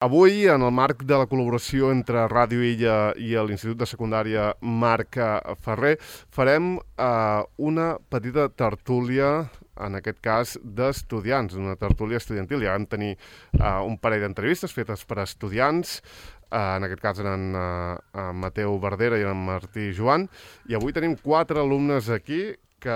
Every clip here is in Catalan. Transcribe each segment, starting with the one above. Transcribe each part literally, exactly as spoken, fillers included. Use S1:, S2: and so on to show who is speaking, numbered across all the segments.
S1: Avui, en el marc de la col·laboració entre Ràdio Illa i l'Institut de Secundària Marc Ferrer, farem eh, una petita tertúlia, en aquest cas, d'estudiants, una tertúlia estudiantil. Ja vam tenir eh, un parell d'entrevistes fetes per estudiants, eh, en aquest cas eren eh, Mateu Verdera i en Martí Joan, i avui tenim quatre alumnes aquí que,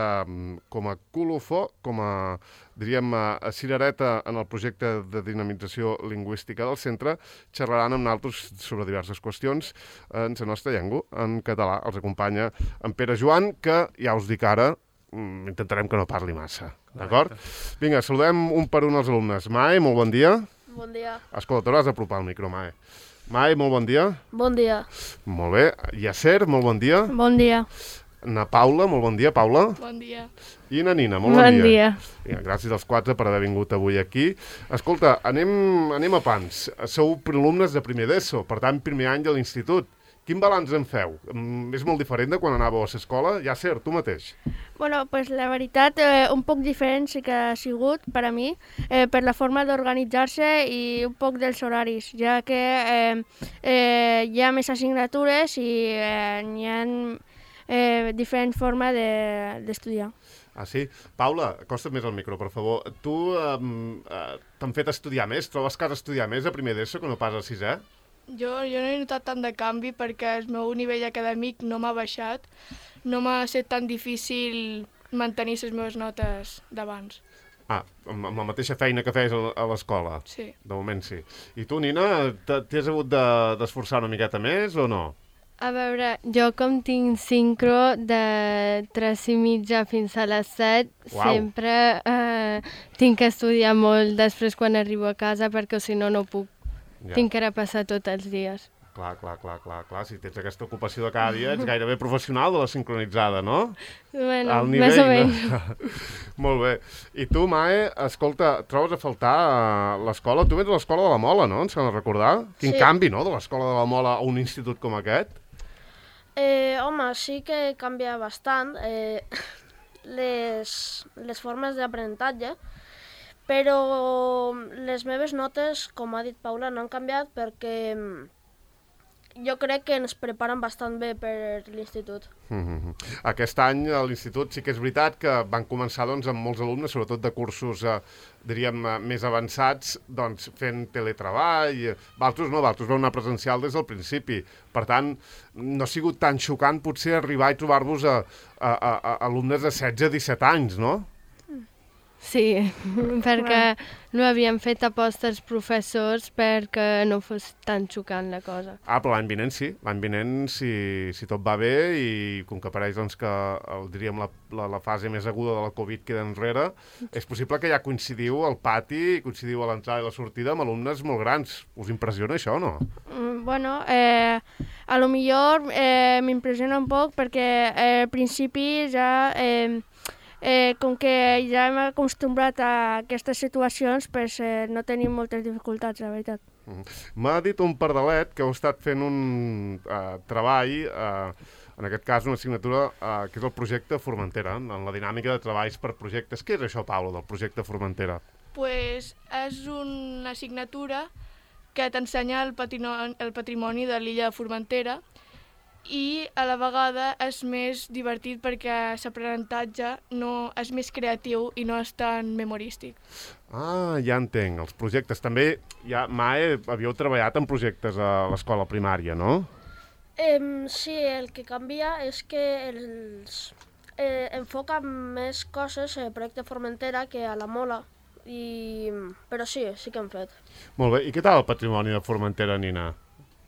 S1: com a colofó, com a, diríem, a cirereta en el projecte de dinamització lingüística del centre, xerraran amb nosaltres sobre diverses qüestions en la nostra llengua, en català. Els acompanya en Pere Joan, que ja us dic ara, intentarem que no parli massa, d'acord? Vinga, saludem un per un els alumnes. Mai, molt bon dia.
S2: Bon dia.
S1: Escolta, t'hauràs d'apropar al micro, Mai. Mai, molt bon dia.
S2: Bon dia.
S1: Molt bé. Yasser, molt bon dia.
S2: Bon dia.
S1: Na Paula, molt bon dia, Paula.
S3: Bon dia.
S1: I na Nina, molt bon,
S2: bon
S1: dia.
S2: dia.
S1: Vinga, gràcies als quatre per haver vingut avui aquí. Escolta, anem, anem a pans. Sou alumnes de primer d'ESO, per tant, primer any de l'institut. Quin balanç en feu? Mm, és molt diferent de quan anàveu a l'escola? Ja, Ser, tu mateix.
S2: Bueno, pues la veritat, eh, un poc diferent sí que ha sigut per a mi, eh, per la forma d'organitzar-se i un poc dels horaris, ja que eh, eh, hi ha més assignatures i eh, hi ha eh, diferent forma d'estudiar. De,
S1: Ah, sí? Paula, acosta't més al micro, per favor. Tu eh, eh, t'han fet estudiar més? Trobes que has d'estudiar més a primer d'ESO que no pas a sisè?
S3: Jo, jo no he notat tant de canvi perquè el meu nivell acadèmic no m'ha baixat. No m'ha estat tan difícil mantenir les meves notes d'abans.
S1: Ah, amb, amb la mateixa feina que feies a a l'escola?
S3: Sí.
S1: De moment sí. I tu, Nina, t'has hagut de- d'esforçar una miqueta més o no?
S4: A veure, jo com tinc sincro de tres i mitja fins a les set,
S1: Uau.
S4: sempre eh, tinc que estudiar molt després quan arribo a casa perquè si no, no puc.
S1: Ja.
S4: Tinc que repassar tots els dies.
S1: Clar, clar, clar, clar, clar. Si tens aquesta ocupació de cada dia, ets gairebé professional de la sincronitzada, no?
S4: Bueno,
S1: Al
S4: més o menys.
S1: no? Molt bé. I tu, Mae, escolta, trobes a faltar a l'escola? Tu vens a l'escola de la Mola, no? Ens cal recordar? Quin
S2: Sí.
S1: canvi, no?, de l'escola de la Mola a un institut com aquest?
S2: Eh, home, sí que canvia bastant eh, les, les formes d'aprenentatge, però les meves notes, com ha dit Paula, no han canviat perquè mm, jo crec que ens preparen bastant bé per l'institut.
S1: Mm-hmm. Aquest any a l'institut sí que és veritat que van començar doncs, amb molts alumnes, sobretot de cursos eh, diríem eh, més avançats, doncs, fent teletreball. Valtros no, Valtros vau anar presencial des del principi. Per tant, no ha sigut tan xocant potser arribar i trobar-vos a, a, a, a alumnes de setze a disset anys, no?
S4: Sí, perquè no havíem fet aposta als professors perquè no fos tan xocant la cosa.
S1: Ah, però l'any vinent sí. L'any vinent, si, si tot va bé i com que pareix doncs, que el, diríem la, la, la fase més aguda de la Covid queda enrere, és possible que ja coincidiu al pati, coincidiu a l'entrada i la sortida amb alumnes molt grans. Us impressiona això o no?
S2: Mm, bueno, eh, a lo millor eh, m'impressiona un poc perquè eh, al principi ja... Eh, Eh, com que ja hem acostumbrat a aquestes situacions, pues, eh, no tenim moltes dificultats, la veritat.
S1: Mm. M'ha dit un pardalet que heu estat fent un uh, treball, uh, en aquest cas una assignatura, uh, que és el projecte Formentera, en la dinàmica de treballs per projectes. Què és això, Paula, del projecte Formentera?
S3: Pues és una assignatura que t'ensenya el, patino- el patrimoni de l'illa de Formentera i a la vegada és més divertit perquè l'aprenentatge no és més creatiu i no és tan memorístic.
S1: Ah, ja entenc. Els projectes també, ja, Mae, havíeu treballat en projectes a l'escola primària, no?
S2: Eh, sí, el que canvia és que els eh, enfoquen més coses al projecte Formentera que a la Mola, i... però sí, sí que hem fet.
S1: Molt bé. I què tal el patrimoni de Formentera, Nina?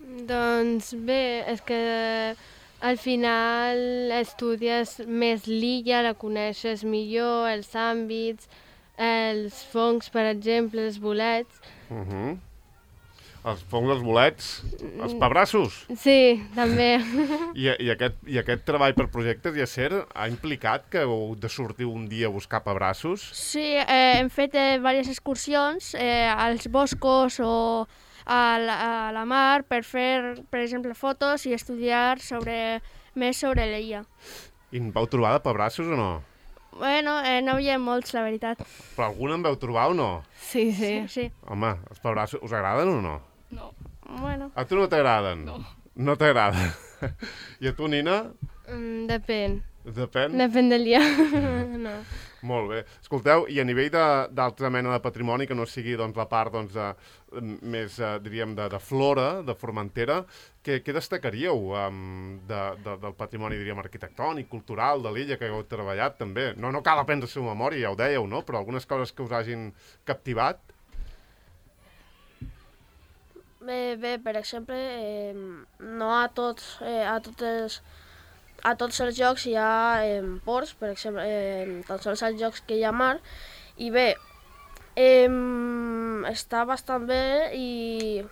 S4: Doncs bé, és que al final estudies més l'illa, la coneixes millor, els àmbits, els fongs, per exemple, els bolets.
S1: Uh -huh. Els fongs, els bolets, els pebrassos.
S4: Sí, també.
S1: I, i, aquest, I aquest treball per projectes, Yasser, ha implicat que heu de sortir un dia a buscar pebrassos?
S2: Sí, eh, hem fet eh, diverses excursions eh, als boscos o a la, a la mar per fer, per exemple, fotos i estudiar sobre, més sobre l'illa.
S1: I en vau trobar de pebrassos o no?
S2: Bueno, eh, no hi havia molts, la veritat.
S1: Però algun en vau trobar o no?
S4: Sí, sí.
S2: Sí.
S1: Home, els pebrassos us agraden o no? A tu no t'agraden?
S3: No.
S1: No t'agrada. I a tu, Nina?
S4: Mm, depèn.
S1: Depèn?
S4: Depèn del dia. No.
S1: Molt bé. Escolteu, i a nivell de- d'altra mena de patrimoni, que no sigui doncs, la part doncs, de, més, eh, diríem, de, de flora, de Formentera, què, què destacaríeu um, de, de, del patrimoni, diríem, arquitectònic, cultural de l'illa que heu treballat també? No, no cal aprendre-se a memòria, ja ho dèieu, no? Però algunes coses que us hagin captivat?
S2: Bé, bé, per exemple, eh, no a tots, eh, a totes, a tots els jocs hi ha eh, ports, per exemple, eh, tan sols als jocs que hi ha mar, i bé, eh, està bastant bé i...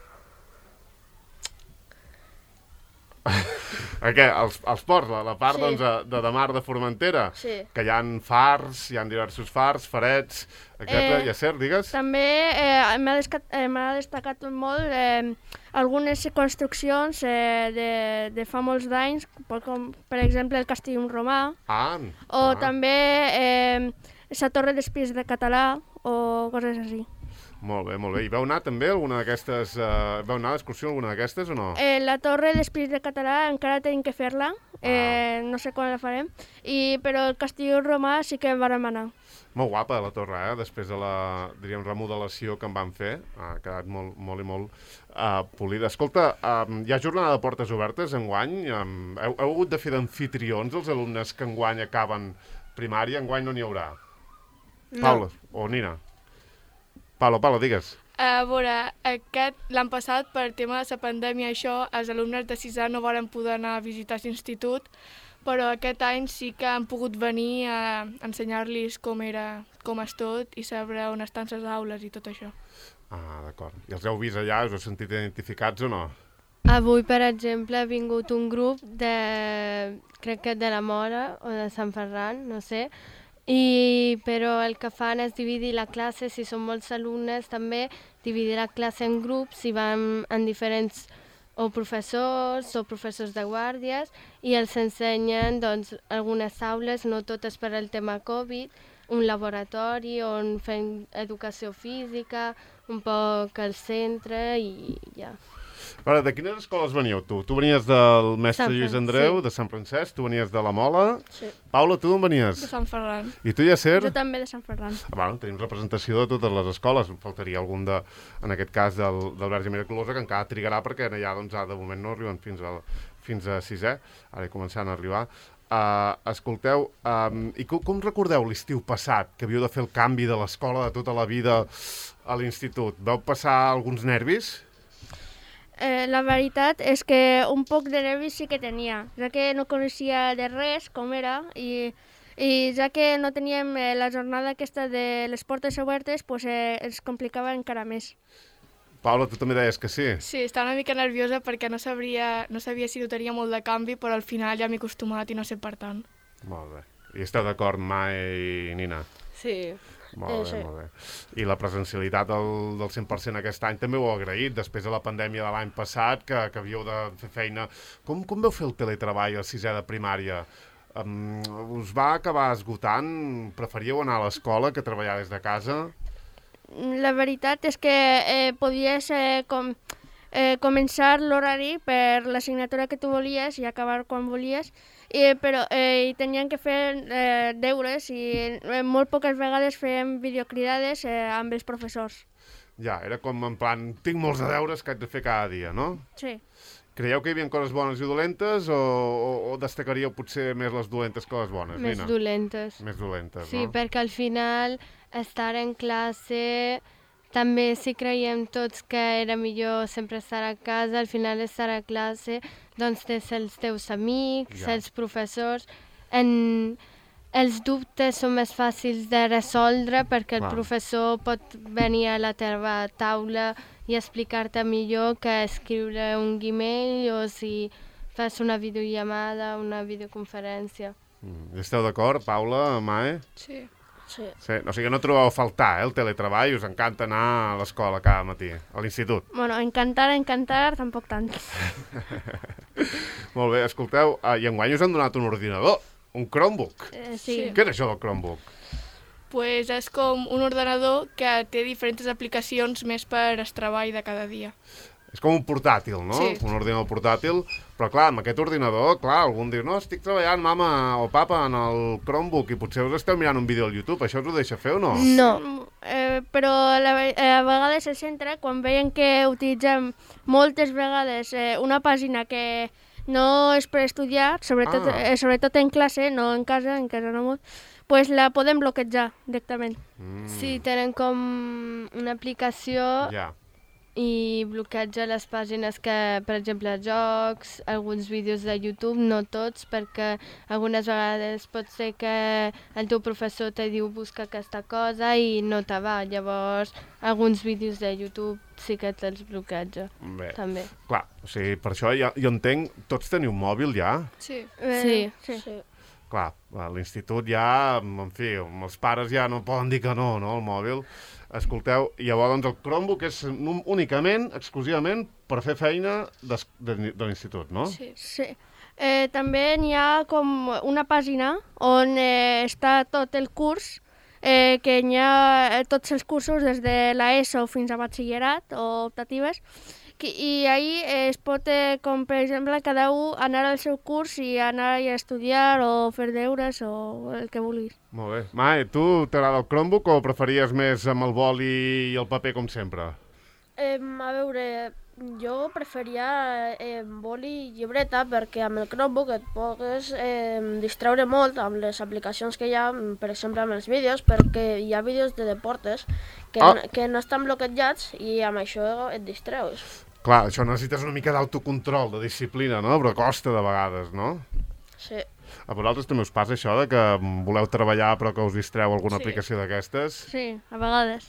S1: Què? Els, els ports, la, la part
S2: Sí.
S1: doncs, de, de mar de Formentera?
S2: Sí.
S1: Que hi ha fars, hi ha diversos fars, farets, etcètera.
S5: Eh,
S1: I a cert, digues?
S5: També eh, m'ha descat- eh, m'ha destacat molt eh, algunes construccions eh, de, de fa molts d'anys, com per exemple el Castell Romà,
S1: Ah,
S5: o
S1: ah.
S5: també eh, la Torre d'Espies de Català, o coses així.
S1: Molt bé, molt bé. I vau anar també a alguna d'aquestes... Uh, vau anar a l'excursió a alguna d'aquestes o no?
S5: Eh, la Torre d'Espies de Català encara tenim que fer-la, eh, no sé quan la farem, i, però el Castell Romà sí que vàrem anar.
S1: Molt guapa la torre, eh? Després de la, diríem, remodelació que en van fer. Ha quedat molt, molt i molt uh, polida. Escolta, um, hi ha jornada de portes obertes enguany? Um, heu, heu hagut de fer d'anfitrions els alumnes que enguany acaben primària? Enguany no n'hi haurà?
S2: No.
S1: Paula o Nina? Paula, Paula, digues.
S3: A veure, aquest, l'any passat, per tema de la pandèmia, això, els alumnes de sisè no varen poder anar a visitar l'institut, però aquest any sí que han pogut venir a ensenyar-los com era, com és tot, i saber on estan les aules i tot això.
S1: Ah, d'acord. I els heu vist allà? Us heu sentit identificats o no?
S4: Avui, per exemple, ha vingut un grup de, crec que de la Mora o de Sant Ferran, no sé, i, però el que fan és dividir la classe, si són molts alumnes també, dividir la classe en grups i van en diferents o professors o professors de guàrdies i els ensenyen doncs, algunes aules, no totes per al tema Covid, un laboratori on fem educació física, un poc al centre i ja.
S1: Ara, de quines escoles veníeu tu? Tu venies del mestre
S4: Sant
S1: Lluís
S4: Fran-
S1: Andreu,
S4: sí.
S1: de Sant Francesc, tu venies de la Mola.
S2: Sí.
S1: Paula, tu d'on venies?
S3: De Sant Ferran.
S1: I tu, Yacer?
S5: Jo també de Sant Ferran.
S1: Ah, bueno, tenim representació de totes les escoles. Em faltaria algun, de, en aquest cas, del, del Verge Miraculosa, que encara trigarà perquè allà, doncs, ah, de moment no arriben fins, al, fins a sisè. Ara hi començant a arribar. Uh, escolteu, um, i com, com recordeu l'estiu passat, que havíeu de fer el canvi de l'escola de tota la vida a l'institut? Vau passar alguns nervis?
S5: Eh, la veritat és que un poc de nervis sí que tenia, ja que no coneixia de res com era i, i ja que no teníem eh, la jornada aquesta de les portes obertes, pues, eh, ens complicava encara més.
S1: Paula, tu també deies que sí.
S3: Sí, estava una mica nerviosa perquè no sabria, no sabia si notaria molt de canvi, però al final ja m'he acostumat i no sé per tant.
S1: Molt bé. I esteu d'acord, Mai i Nina?
S4: Sí.
S1: Molt
S2: Eh,
S1: bé,
S2: sí.
S1: molt bé. I la presencialitat del, del cent per cent aquest any també ho heu agraït, després de la pandèmia de l'any passat, que, que havíeu de fer feina. Com, com vau fer el teletreball a sisè de primària? Um, us va acabar esgotant? Preferíeu anar a l'escola que treballar des de casa?
S5: La veritat és que eh, podies eh, com, eh, començar l'horari per l'assignatura que tu volies i acabar quan volies, i, però eh, i tenien que fer eh, deures i eh, molt poques vegades fèiem videocridades eh, amb els professors.
S1: Ja, era com en plan, tinc molts de deures que haig de fer cada dia, no?
S5: Sí.
S1: Creieu que hi havia coses bones i dolentes o, o, o destacaríeu potser més les dolentes que les bones?
S4: Més
S1: Nina?
S4: dolentes.
S1: Més dolentes,
S4: Sí,
S1: no?
S4: perquè al final estar en classe també si creiem tots que era millor sempre estar a casa, al final estar a classe doncs tens els teus amics,
S1: Ja.
S4: els professors, en... els dubtes són més fàcils de resoldre perquè el
S1: Clar.
S4: professor pot venir a la teva taula i explicar-te millor que escriure un Gmail o si fas una videollamada, una videoconferència.
S1: Mm. Esteu d'acord, Paula, Mae?
S3: Sí.
S2: Sí.
S1: Sí, o sigui que no trobeu a faltar, eh, el teletreball, us encanta anar a l'escola cada matí, a l'institut.
S5: Bueno, encantar, encantar, tampoc tant.
S1: Molt bé, escolteu, uh, i enguany us han donat un ordinador, un Chromebook.
S5: Eh, sí.
S3: Sí.
S1: Què és això del Chromebook?
S3: Pues és com un ordenador que té diferents aplicacions més per al treball de cada dia.
S1: És com un portàtil, no?
S3: Sí.
S1: Un ordinador portàtil, però clar, amb aquest ordinador, clar, algun diu, no, estic treballant, mama o papa, en el Chromebook i potser us esteu mirant un vídeo al YouTube, això us ho deixa fer o no?
S5: No, eh, però la, ve- eh, a vegades el centre, quan veien que utilitzem moltes vegades eh, una pàgina que no és per estudiar, sobretot,
S1: Ah.
S5: eh, sobretot en classe, no en casa, en casa no molt, pues la podem bloquejar directament.
S1: Mm,
S4: Sí, tenen com una aplicació
S1: Ja.
S4: i bloqueja les pàgines que, per exemple, jocs, alguns vídeos de YouTube, no tots, perquè algunes vegades pot ser que el teu professor te diu busca aquesta cosa i no te va. Llavors, alguns vídeos de YouTube sí que te'ls bloqueja,
S1: Bé,
S4: també.
S1: clar, o sigui, per això ja, jo entenc, tots teniu mòbil ja?
S3: Sí.
S5: Eh,
S4: Sí.
S5: sí.
S2: Sí.
S1: Clar, a l'institut ja, en fi, els pares ja no poden dir que no, no, el mòbil. Escolteu, llavors doncs, el Chromebook és nu- únicament, exclusivament, per fer feina des, de, de l'institut, no?
S3: Sí.
S5: Sí. Eh, també n'hi ha com una pàgina on eh, està tot el curs, eh, que n'hi ha eh, tots els cursos des de l'ESO fins a batxillerat o optatives, que, i ahí eh, es pot, eh, com per exemple, cada un anar al seu curs i anar a estudiar o fer deures o el que vulguis.
S1: Molt bé. Mai, tu t'agrada el Chromebook o preferies més amb el boli i el paper com sempre?
S2: Eh, a veure, jo preferia eh, boli i llibreta perquè amb el Chromebook et pogues eh, distreure molt amb les aplicacions que hi ha, per exemple amb els vídeos, perquè hi ha vídeos de deportes que,
S1: Ah.
S2: no, que no estan bloquejats i amb això et distreus.
S1: Clar, això necessites una mica d'autocontrol, de disciplina, no? Però costa de vegades, no?
S2: Sí.
S1: A vosaltres també us passa això de que voleu treballar però que us distreu alguna
S3: Sí.
S1: aplicació d'aquestes?
S5: Sí, a vegades.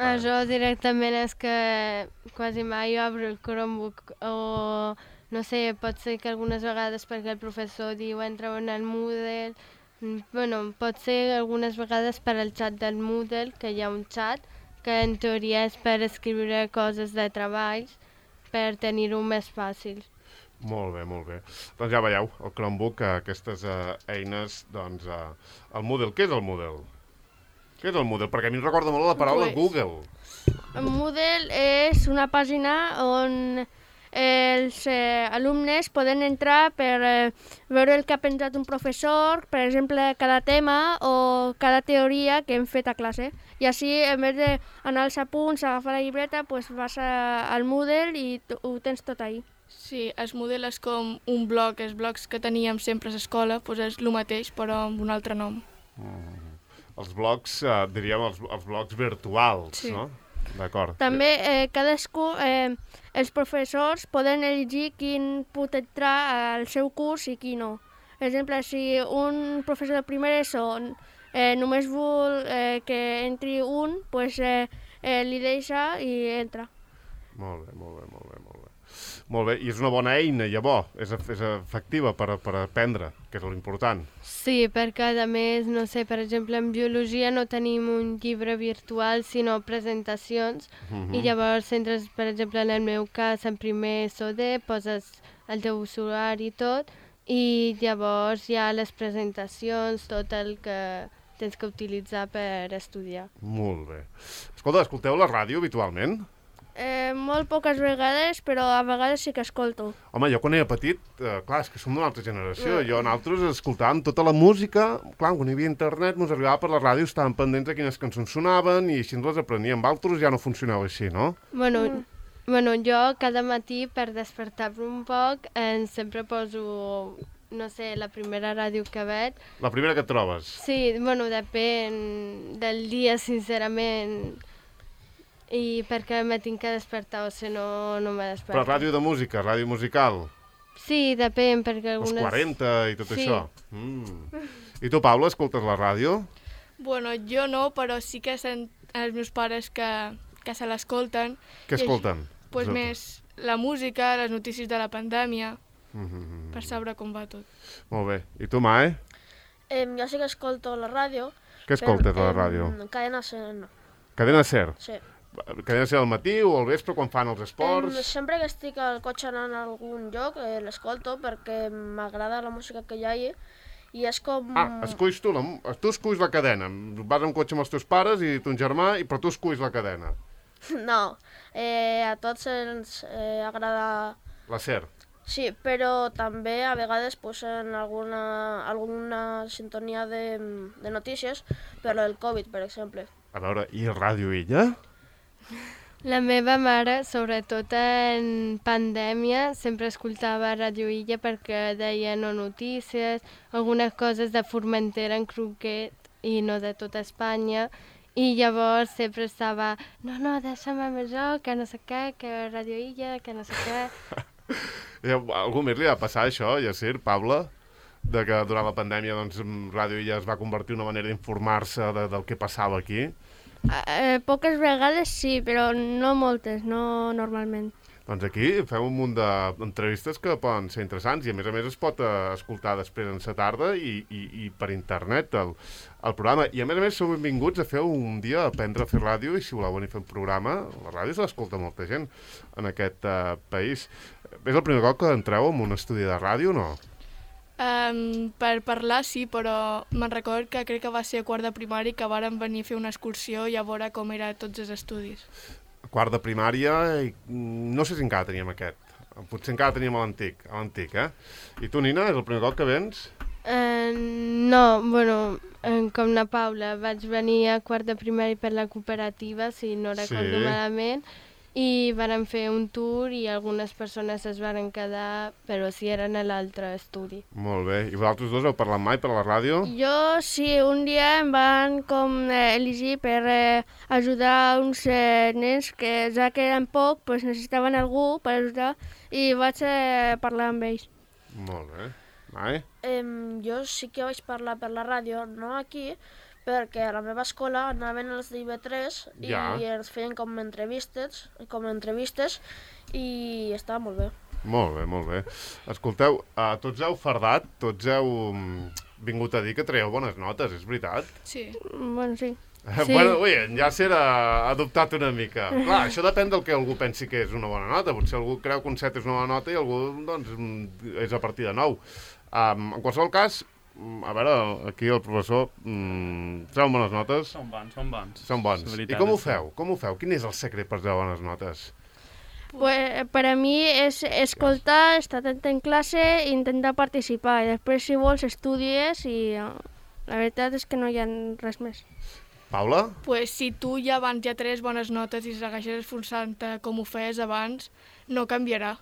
S4: Això directament és que quasi mai jo obro el Chromebook o no sé, pot ser que algunes vegades perquè el professor diu entra en el Moodle, mm, bueno, pot ser algunes vegades per al xat del Moodle, que hi ha un xat que en teoria és per escriure coses de treballs per tenir-ho més fàcil.
S1: Molt bé, molt bé. Doncs ja veieu, el Chromebook, eh, aquestes eh, eines, doncs, eh, el Moodle. Què és el Moodle? Què és el Moodle? Perquè a mi em recorda molt la paraula
S3: Pues-
S1: Google.
S5: Moodle és una pàgina on els eh, alumnes poden entrar per eh, veure el que ha pensat un professor, per exemple, cada tema o cada teoria que hem fet a classe. I així, en vez d'anar als apunts, agafar la llibreta, pues vas a, al Moodle i t- ho tens tot ahí.
S3: Sí, el model és com un bloc, els blocs que teníem sempre a l'escola, doncs és el mateix, però amb un altre nom.
S1: Els blocs, eh, diríem, els, els blocs virtuals,
S3: Sí.
S1: no? D'acord.
S5: També eh, cadascú, eh, els professors poden elegir quin pot entrar al seu curs i qui no. Per exemple, si un professor de primer ESO eh, només vol eh, que entri un, pues, eh, eh, li deixa i entra.
S1: Molt bé, molt bé, molt bé, molt bé. Molt bé, i és una bona eina, llavors, és, ef- és efectiva per, per aprendre, que és l'important.
S4: Sí, perquè a més, no sé, per exemple, en biologia no tenim un llibre virtual, sinó presentacions,
S1: Mhm.
S4: i llavors entres, per exemple, en el meu cas, en primer S O D, poses el teu usuari i tot, i llavors hi ha les presentacions, tot el que tens que utilitzar per estudiar.
S1: Molt bé. Escolta, escolteu la ràdio habitualment?
S5: Eh, molt poques vegades, però a vegades sí que escolto.
S1: Home, jo quan era petit, eh, clar, és que som d'una altra generació, jo nosaltres escoltàvem tota la música, clar, quan hi havia internet, ens arribava per la ràdio, estàvem pendents de quines cançons sonaven i així ens les apreníem. Altres ja no funcionava així, no?
S4: Bueno, mm. bueno, jo cada matí per despertar-me un poc eh, sempre poso, no sé, la primera ràdio que veig.
S1: La primera que et trobes.
S4: Sí, bueno, depèn del dia, sincerament, i perquè me tinc que despertar, o si no, no me desperto.
S1: Però ràdio de música, ràdio musical,
S4: Sí, depèn, perquè
S1: els
S4: algunes...
S1: quaranta i tot
S4: Sí.
S1: això. Mm. I tu, Paula, escoltes la ràdio?
S3: Bueno, jo no, però sí que sent els meus pares que, que se l'escolten.
S1: Què
S3: I
S1: escolten?
S3: Doncs pues més la música, les notícies de la pandèmia,
S1: Mm -hmm.
S3: per saber com va tot.
S1: Molt bé. I tu, Mae?
S2: Eh, jo sí que escolto la ràdio.
S1: Què escoltes a la
S2: em,
S1: ràdio?
S2: Cadena Ser, no.
S1: Cadena Ser?
S2: Sí.
S1: Cadena Ser al matí o al vespre quan fan els
S2: Em,
S1: esports?
S2: sempre que estic al cotxe anant a algun lloc eh, l'escolto perquè m'agrada la música que hi ha allà i és com...
S1: Ah, esculls tu, la, tu esculls la cadena. Vas amb cotxe amb els teus pares i ton germà, i però tu esculls la cadena.
S2: No, eh, a tots ens eh, agrada...
S1: La SER.
S2: Sí, però també a vegades posen alguna, alguna sintonia de, de notícies per lo del Covid, per exemple.
S1: A veure, i Ràdio Illa?
S4: La meva mare, sobretot en pandèmia, sempre escoltava Ràdio Illa perquè deien no notícies, algunes coses de Formentera en concret i no de tota Espanya, i llavors sempre estava no, no, deixa'm amb això, que no sé què, que Ràdio Illa, que no sé què...
S1: Algú més li va passar això, Yassir, Paula? De que durant la pandèmia doncs, Ràdio Illa es va convertir en una manera d'informar-se de, del que passava aquí?
S5: Eh, poques vegades sí, però no moltes, no normalment.
S1: Doncs aquí fem un munt d'entrevistes que poden ser interessants i a més a més es pot eh, escoltar després en sa tarda i, i, i per internet el, el programa. I a més a més sou benvinguts a fer un dia a aprendre a fer ràdio i si voleu venir a fer un programa, la ràdio se l'escolta molta gent en aquest eh, país. És el primer cop que entreu en un estudi de ràdio o no?
S3: Um, per parlar sí, però me'n record que crec que va ser a quart de primari que vàrem venir a fer una excursió i a veure com eren tots els estudis.
S1: Quart de primària, i no sé si encara teníem aquest. Potser encara teníem l'antic, l'antic, eh? I tu, Nina, és el primer cop que vens?
S4: Uh, no, bueno, uh, com la Paula, vaig venir a quart de primari per la cooperativa, si no recordo
S1: Sí.
S4: malament, i vàrem fer un tour i algunes persones es varen quedar, però sí eren a l'altre estudi.
S1: Molt bé. I vosaltres dos heu parlat mai per la ràdio?
S5: Jo sí, un dia em van com eh, elegir per eh, ajudar uns eh, nens que ja que eren poc, pues, necessitaven algú per ajudar i vaig eh, parlar amb ells.
S1: Molt bé. Mai?
S2: Em, jo sí que vaig parlar per la ràdio, no aquí, perquè a la meva escola anaven els d'I B tres i
S1: Ja.
S2: ens feien com entrevistes, com entrevistes i estava molt bé.
S1: Molt bé, molt bé. Escolteu, uh, tots heu fardat, tots heu mm, vingut a dir que traieu bones notes, és veritat?
S3: Sí.
S5: Bueno, sí.
S1: Sí.
S4: Sí.
S1: Bueno, ui, en Yasser ha adoptat una mica. Clar, això depèn del que algú pensi que és una bona nota. Potser algú creu que un set és una bona nota i algú, doncs, mm, és a partir de nou. Um, en qualsevol cas, mm, a veure, aquí el professor mm, treu bones notes.
S6: Són bons, són bons.
S1: Són bons.
S6: La
S1: I
S6: veritat
S1: com ho
S6: és que-
S1: feu? Com ho feu? Quin és el secret per treure bones notes?
S5: Pues, per a mi és escoltar, estar atent en classe i intentar participar. I després, si vols, estudies i eh, la veritat és que no hi ha res més.
S1: Paula?
S3: Pues si tu ja abans ja tres bones notes i segueixes esforçant-te com ho feies abans, no canviarà.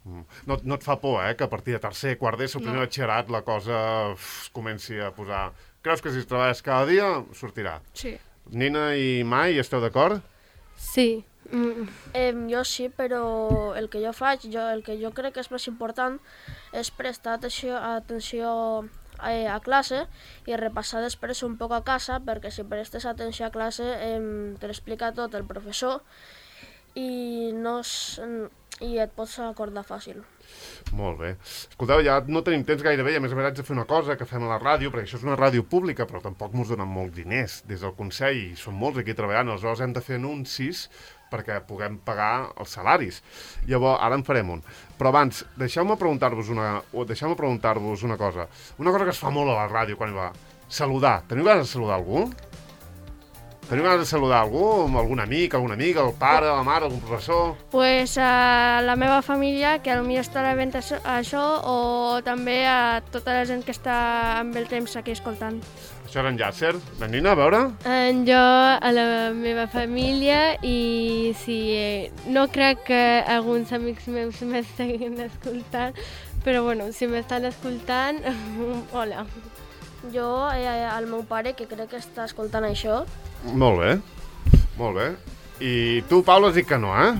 S1: Mm. No, no et fa por, eh, que a partir de tercer, quart d'ESO,
S3: No.
S1: primer batxillerat, la cosa uf, es comenci a posar... Creus que si es treballes cada dia, sortirà?
S3: Sí.
S1: Nina i Mai, esteu d'acord?
S4: Sí. Mm.
S2: Em, jo sí, però el que jo faig, jo, el que jo crec que és més important és prestar atenció, atenció eh, a classe i repassar després un poc a casa, perquè si prestes atenció a classe em, te l'explica tot el professor i, no es, i et pots acordar fàcil.
S1: Molt bé. Escolteu, ja no tenim temps gairebé i a més a més haig de fer una cosa que fem a la ràdio, perquè això és una ràdio pública, però tampoc ens donen molts diners des del Consell, i són molts aquí treballant, aleshores hem de fer anuncis perquè puguem pagar els salaris. Llavors, ara en farem un. Però abans, deixeu-me preguntar-vos una, o deixeu-me preguntar-vos una cosa. Una cosa que es fa molt a la ràdio quan hi va. Saludar. Teniu ganes de saludar algú? Teniu ganes de saludar algú? Algun amic, alguna amiga, el pare, la mare, algun professor?
S5: Pues a la meva família, que potser estarà veient això, això, o també a tota la gent que està amb el temps aquí escoltant.
S1: Això era en Yasser. La Nina, a veure?
S4: En jo, a la meva família, i si eh, no crec que alguns amics meus m'estiguin escoltant, però bueno, si m'estan escoltant, hola.
S2: Jo, eh, al meu pare, que crec que està escoltant això,
S1: Molt bé, molt bé. I tu, Paula, has dit que no, eh?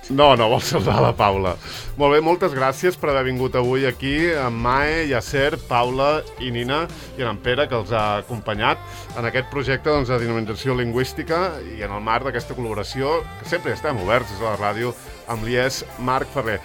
S1: No, no vols saludar la Paula. Molt bé, moltes gràcies per haver vingut avui aquí amb Mae, Yasser, Paula i Nina i en Pere, que els ha acompanyat en aquest projecte doncs, de dinamització lingüística i en el marc d'aquesta col·laboració que sempre estem oberts des de la ràdio amb l'I E S Marc Ferrer.